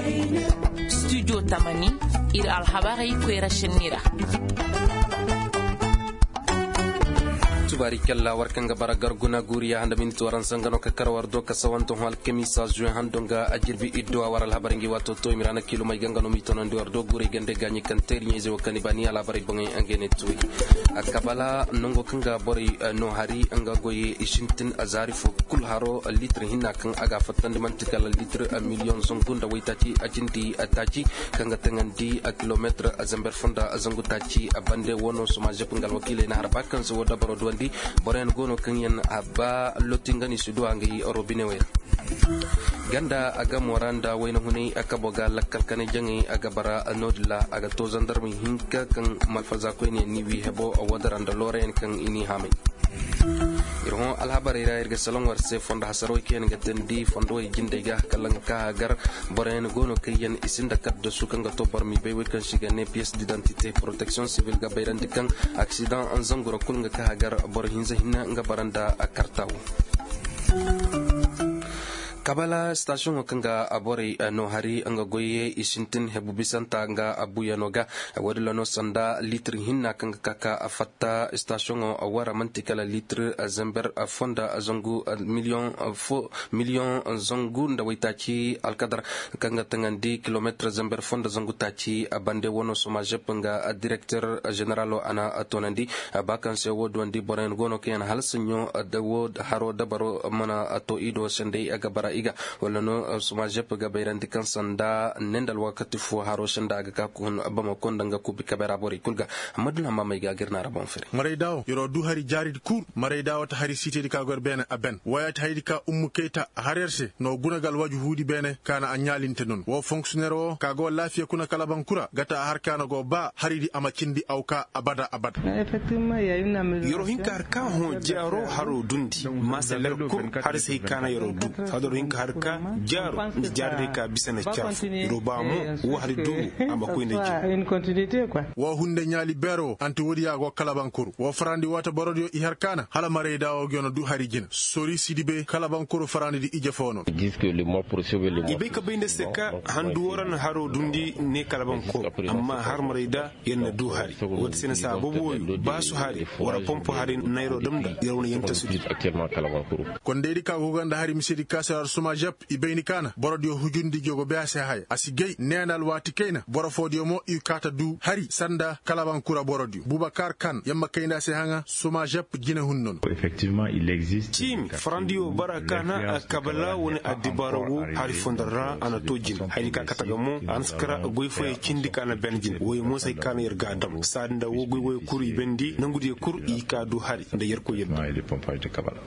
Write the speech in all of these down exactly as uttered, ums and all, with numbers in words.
Studio tamani, ir alhabarey koyra senni ra. Tubaari kalla war kaŋ ga bara garguna guuriya handa minit waransa nga no ka kar war do ka sawante hõ alkamiisa zuwe hando nga a jirbi idduwa war alhabarey ngi waato to i ma ra na kiilumey ga nga no m'i tonandi war do guurey gande gaaɲi kaŋ teeri ɲayze wo kaŋ i ba ni alhabarey boŋey nga ne tuuri. Kabala nango kaŋ ga borey no hari nga goyey i sintin a zaari fo kul haro litir hinna kaŋ a ga a fattandi man'ti kala litir miliyoŋ zangu nda waytaaci a cindi taaci kaŋ ga taŋandi kilometir zamber fonda zangu taaci a bande wo no soma zep nga alwakiiley na har ba kaŋ se wo dabaro duwandi. Boroyaŋ go no kaŋ yaŋ a ba loti nga no i si duwa ngey robine wey ra. Ganda a gamo ra nda wayna hunay a kabo ga lakkal kanay jaŋay a ga bara no-din ra a ga to zandarmey hinka kaŋ malfaza koyne yaŋ ni wi hebo a woo dara nda loorayaŋ kaŋ i n'i haamay. Ir hõ alhabarey ra ir ga salaŋ war se fondo hasarwey kaŋ yaŋ ga teendi fondowey jindey ga kala nga ka hagar. Boroyaŋ go no kaŋ yaŋ i sinda kaddasu kaŋ ga to boro m'i bay wey kaŋ se i ga ne piyes didantite poroteksiyoŋ sivil ga bayrandi kaŋ aksidaŋ zangu ra kulu nga ka hagar boro hinza hinne nga bara nda karta wo. Kabala sitasiyoŋo kaŋ ga borey no hari nga goyey i sintin hebu bisanta nga buuyano ga. Woodin ra no sanda litir hinna kaŋ ga ka ka fatta sitasiyoŋo wara man'ti kala litir zember fonda zangu miliyoŋ fo miliyoŋ zangu nda waytaaci alkadar kaŋ ga taŋandi kilometir zember fonda zangu taaci a bande wano somazep nga direkter ženeralo a na toonandi. Ba kaŋ se wo duwandi boroyaŋ go no kaŋ yaŋ hala saɲɲo da wo haro dabaro mana to i do senday a ga bara i ga wala no somazep ga bayrandi kaŋ sanda ne nda alwakati fo haro senda a ga ka kun bamako nda nga kubi kabe ra borey kulu ga. Amma duna ma may ga gir na ra boŋ fere. Marayda wo yer'o du hari jaaridi kul. Marayda wo ta hari siitedi ka go yer beene a ben waya ta haydi ka ummu kayta a har yer se no guna ga alwaju huudi beene ka na a ɲaalinte non wo fonksiyoneer wo ka go laafiya kuna kala bankura ga ta a har ka na go ba haridi a ma cindi aw ka abada abada. Yer'o hin ka har ka hõ jaaro haro dundi maasa ler kul. Har se hay ka na yer'o du saadaro hin ka har ka jaaro nda jaaridi ka bisa na caafu yer'o ba mo wo hari du wo a ma koy nda jin. Wo hunde ɲaali beero anti woodi ya go kalabankuru wo farandi waata borodiyo i har kaana hala marayda wo gi yoona du hari jina sori sidibe kalabankuru farandi di ije foo no. I bay ka bay nda se ka handu wo ra na haro dundi ne kalabankuru amma har marayda yer na du hari. Woodi se na saababu woyo baasu hari wara pompo hari nayroo damda yer wane yer nta sudi. Kondaydi ka go ga nda hari misedi ka se har suma jep i bayni kaana borodiyo hujundi jogo be a se haya a si gay neena alwaati kayna boro foodiyo mo i kaata du hari sanda kalabankura borodiyo bubakar kan yamma kayna se haŋa suma jep jine hunno no. Ciimi farandiyo bara kaana kabala wani addibaara wo hari fondo ra a na to jine haydi ka kate ga mo a na si kara goy fooyey cindi kaana ben jine woyey mo se hay kaana yer ga a dam saadi nda wo goy woyey kul i bendi nangudiyo kul i ka du hari nda yerkoy yer du.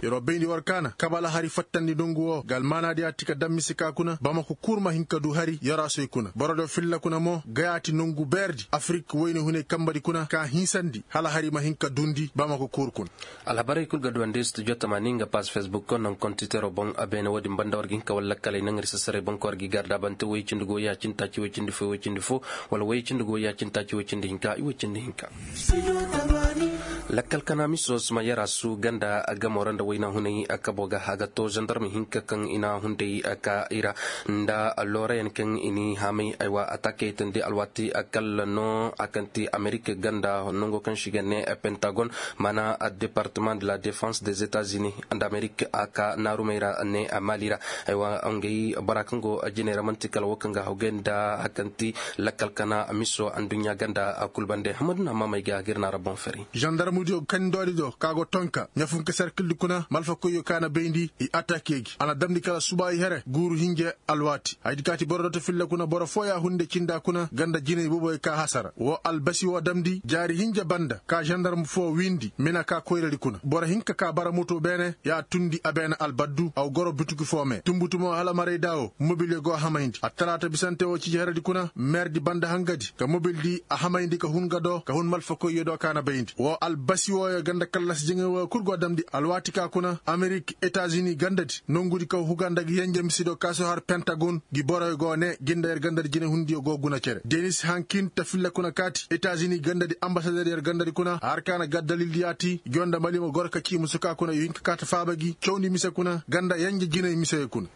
Yer'o bayndi war kaana kabala hari fattandi nongu wo ga almaanaadiya ti ka dammisi ka kuna bamako kul ma hin ka du hari yarasoy kuna borodiyo filla kuna mo gayaati nongu beerdi afirik woyne hunay kambadi kuna ka hinsandi hala hari ma hin ka dundi bamako kul kuna. Alhabarey kul ga duwandi studio tamaani nga paas fesbuk ko naŋ kontiteroo boŋ a beene woodin banda war ga hin ka walla kalay naŋ ir sasaray boŋ ka war ga i garda bante woy cindi go ya cindi taaci woy cindi fo woy cindi fo wala woy cindi go ya cindi taaci woy cindi hinka i woy cindi hinka. Lakkal kana miso suma yarasu ganda gamo ra nda wayna hunay kabo ga haga to zandarma hinka kaŋ i na hunday ka i ra nda loorayaŋ kaŋ i ni haamay aywa atakey tandi alwaati kalla no a kaŋ ti amerik ganda nango kaŋ se i ga ne pentagon mana departement de la defense des etats unis nda amerik a ka naarumey ra ne mali ra. Aywa ngey bora kaŋ go jiney ra man'ti kala wo kaŋ ga hawgay nda a kaŋ ti lakkal kana miso anduɲɲa ganda kul bande hamaduna mamey ga ga ir na ra boŋ fari. Zandarmudiyo kandoodi do ka go tonka ɲafunka serkildi kuna malfakoyyo ka na bayndi i atakey gi a na damndi kala subaayi here guuru hinja alwaati haydi kaati boro do ta filla kuna boro fooya hunde cinda kuna ganda jinay boboy ka hasara wo albasi wo damndi jaari hinja banda ka zandarmu foo wiindi mina ka koyradi kuna boro hinka ka bara moto beene ya tundi a beene albaddu aw goro butuki foo me tumbutumo hala marayda wo mobilyo go hamayndi attalaata bisante wo ciji heredi kuna meerdi banda hangadi ka mobildi a hamayndi ka hun ga do ka hun malfakoyyo do ka na bayndi wo Basi wooyo ganda kallas jaŋay wooyo kul go damndi alwaati ka kuna amerik etazini gandadi nongudi kaw huga nda ga yenje misediyo ka si har pentagon. Gi boroyo go ne gi nda yer gandadi jinehundiyo go guna cere denis hankin ta filla kuna kaati etazini gandadi ambasader yer gandadi kuna har ka na ga dalildi yaati gi woo nda mali ma goro ka cii musu ka kuna i hin ka kaati faaba gi cawndi mise kuna ganda yenje jiney misey kuna.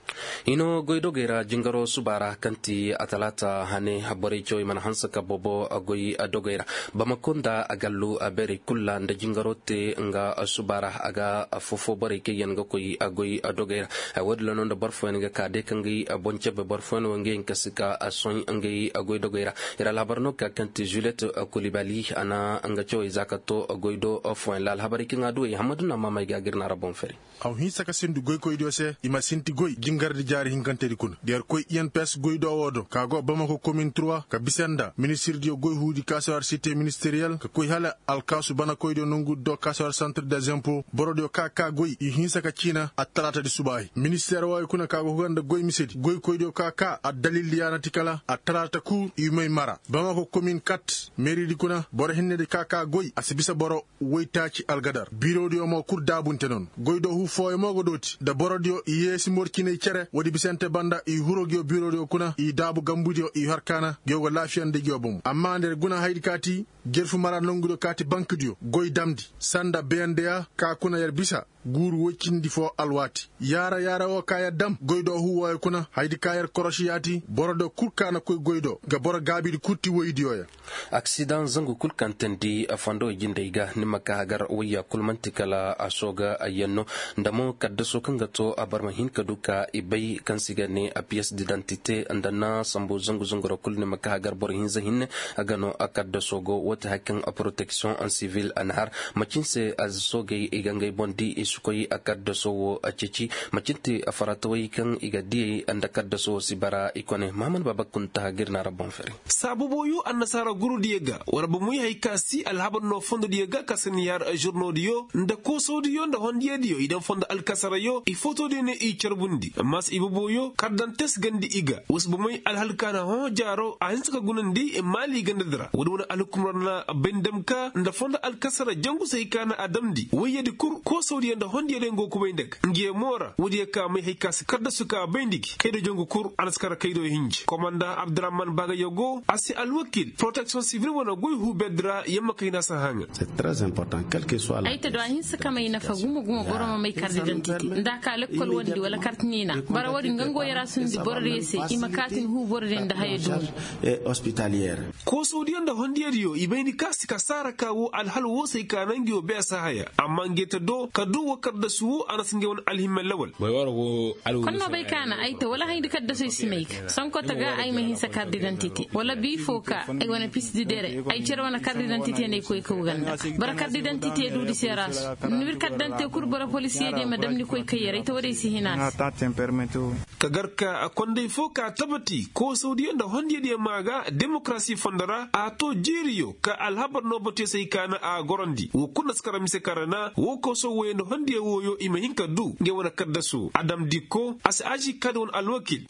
Hino goy dogey ra jingaro suba ra kaŋ ti atalaata hane borey cawey mana hanse ka bobo goy dogey ra. Bamako nda a gallu a beerey kul ra nda jingaro te nga suba ra a ga affoo-foo borey kaŋ yaŋ ga koy goy dogey ra. Woodin ra no nda boro fooyaŋ ga ka day ka ngey boŋ cabe boro fooyaŋ wo ngey hinka si ka sohõ ngey goy dogey ra. Ir alhabar no ga ka kaŋ ti juliet kulibali a na nga cawey za ka to goy do fooyaŋ ra alhabarey kaŋ a du wey hammadu na maamey ga ga ir na ra boŋ fari. Aw hinsa ka sindu goykoydiyo se i ma sinti goy jingardi jaari hinkantedi kuna da yer koy i n p s goy do woo do ka go bamako komin trois ka bisa nda ministirdiyo goy huudi ka si war site ministeriyel ka koy hala alkaasu banakoydiyo nongudi do ka si war santre des impo borodiyo ka ka goy i hinsa ka ciina attalaatadi subaahi ministeer wooyo kuna ka go huga nda goy misedi goykoydiyo ka ka addalildi yaana ti kala attalaata kul i may mara bamako komin kat meeridi kuna boro hinnedi ka ka goy a si bisa boro woytaaci algadar biirodiyo mo kul daabunte noon goy do huu fooyo mo go dooti nda borodiyo i yeesi morciney cere woodi bisante banda i huro ngiyo biirodiyo kuna i daabu gambudiyo i har kaana ngiyo go laafiya nda ngiyo bomo amma nda yer guna hayadi kaati jerfu mara nongudiyo kaati bankidiyo goy damndi sanda beyandeya ka kuna yer bisa guuru woy cindi foo alwaati yaara yaara woo ka yer dam goy do huu wooyo kuna hayadi ka yer korosi yaati borodiyo kul ka na koy goy do nga boro gaabidi kul ti woydiyo yaŋ. Aksidaŋ zangu kul kaŋ teendi fondo jindey ga ni ma ka hagar wayya kul man'ti kala a sooga ayyanno nda mo kaddaso kaŋ ga to a bar ma hin ka du ka i bay kaŋ se i ga ne a piyes didantite nda na sambu zangu zanguro kul ni ma ka hagar boro hinza hinne a ga no a kaddaso go woo ti hari kaŋ a poroteksiyoŋ sivil a na har macin se a soogey i ga ngey boŋ di i si koy a kaddaso wo a ceeci macin te a faratawey kaŋ i ga diyey nda kaddaso wo si bara i kone mahaman baaba kunta ga ir na a ra boŋ fari. Saabuboyo annasaara gurudiyo ga war bomoy hay ka si alhabar no fondodiyo ga ka si ni har žurnodiyo nda koosodiyo nda hondiyadiyo i daŋ fondo alkasarayo i fotodiyo ne i carbundi amma si iboboyo kardantes gandi i ga wa si bomoy alhal ka na hõ jaaro a hinsa ka gunandi maali gandadi ra woodi wane alhukumra na bay ni dam ka nda fondo alkasara jangu si hay ka na a damndi wayyadi kul koosodiyo nda hondiyadiyo nga go kubay nda ga ngiyo mo ra woodiyo ka may hay ka si kardasu ka bayndi gi kaydo jangu kul a na si kar kaydo hinji komanda abdurahman baagayo go a si alwakil poroteksiyoŋ sivil wane goy huu berdi ra yamma kayna si haŋa. Ay ta do a hinsa ka may nafa gumo gumo boro ma may kar didantite nda a ka lekkol wondi wala kart niina bara woodi nga ngo yara sundi borodiyo se i ma kaatin huu borodiyo nda haya duumi. Koosodiyo nda hondiyadiyo i bay ni ka si ka saara ka wo alhal wo se ay ka naŋ ngi wo beesa haya amma ngi ta do ka du wo kardasu wo a na si ngi wane alhimma lawal. Konno bay ka na ay ta wala hayndi kaddasoy si may ga sanko ta ga ay ma hinsa kar didantite wala bii foo ka ay wane pisdi dere ay cere wane kar didantite nda ay koy kaw ganda boro kar didantite duudi seera su ni wir kar didantite kul boro polisiyediyo ma dam ni koy kay yer ay ta woodey si hina se. Ka gar ka kondey foo ka tabati koosawdiyo nda hondiyadiyo maa ga demokarasi fondo ra a to jiiriyo ka alhabar no batuyo se hay ka na a gorandi woo kul na si kara mise kara na woo koosaw wooyo nda hondiyo wooyo i ma hin ka du ngey wane kaddaso a damndi ko a si aži ka da wane alwakil.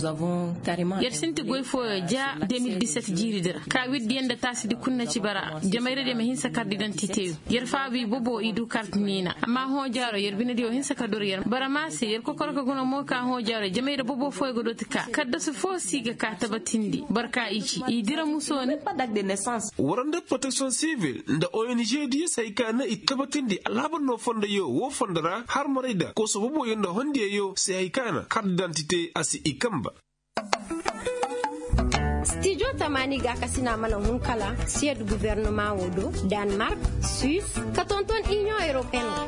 Yer sinti goy fooyo ja de mil diset jiiridi ra ka wirdiyo nda taasidi kul na ci bara jamayradiyo ma hinsa kar didantiteyo yer faabu i bobo i du kart niina amma hõ jaaro yer binediyo hinsa ka dor yer bara maa se yer kokoro ka guna mo ka hõ jaaro jamayra bobo fooyo ga dooti ka kaddasu foo si ga ka tabatindi boro ka i ci i dira musooni. War nda proteksiyoŋ sivil nda ong diyo se hay ka na i tabatindi alhabar no fondoyo woo fondo ra har maray da kooso boboyo nda hondiyayo se hay ka na kart didantite a si i kamba. Stijo tamaani gaakasina mana hun kala siyed guvernemaa woo do, danmark, suis, ka tonton iniyoŋ europeen ra.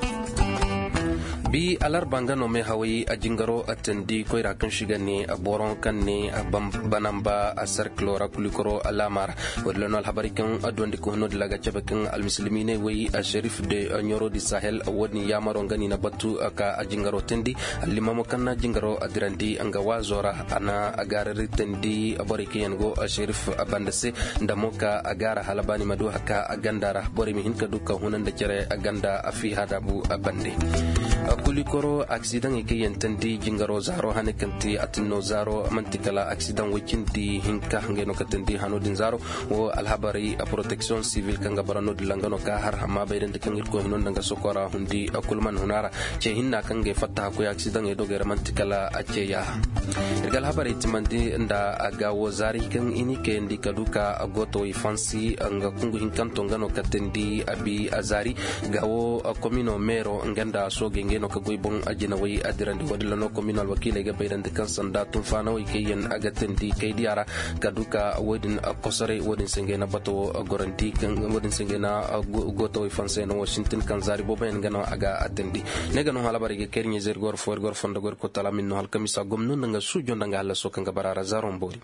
Bi alarba nga no meehaway a jingaro a teendi koyra kaŋ se i ga ne boroŋ kaŋ ne banamba a serkilo ra kulikoro alaama ra. Woodin ra no alhabarey kaŋ a duwandi ka hun no-din ra ga cabe kaŋ almisilimiiney way a serif de ɲoro di sahel woodin yaamaro nga no i na batu ka a jingaro teendi. Allimaamo kaŋ na jingaro a dirandi nga waazo ra a na a gaarari teendi borey kaŋ yaŋ go serif banda se nda mo ka a gaara hala ba ni ma du haka a ganda ra borey ma hin ka du ka huna nda cere a ganda a fiiha daabu a bande. Kulikoro aksidaŋey kaŋ yaŋ teendi jingaro zaaro hane kaŋ te atinno zaaro man'ti kala aksidaŋ woy cindi hinka ngey no ka teendi hano din zaaro. Wo alhabarey proteksiyoŋ sivil kaŋ ga bara no-din ra nga no ka har amma bayrandi kaŋ irkoy hino nda nga sokora hundi kul man huna ra. Ce hinna kaŋ ga ay fatta hakkoy aksidaŋey dogey ra man'ti kala a ce yaaha. Ir ga alhabarey timandi nda a ga wo zaari kaŋ i n'i kayandi ka du ka gootawey fansi nga kungu hinkanto nga no ka teendi a bi a zaari. Ga wo komino meero nga nda soogey ngey no ka goy boŋ a jinawey a dirandi wo-din ra no komino alwakiiley ga bayrandi kaŋ sanda tunfaanawey kaŋ yaŋ a ga teendi kaydiya ra ka du ka wo-din kosoray wo-din se ngey na bato wo gorandi wo-din se ngey na gootawey fansey no wo sintin kaŋ zaari booboyaŋ nga no a ga a teendi. Ne ga no halabarey ga kay ir ɲayzey ir ga war fo ir ga war fondo ga war kotala min no halkamisa gomno nda nga suujo nda nga hallaso kaŋ ga bara ra zaaro ma boori.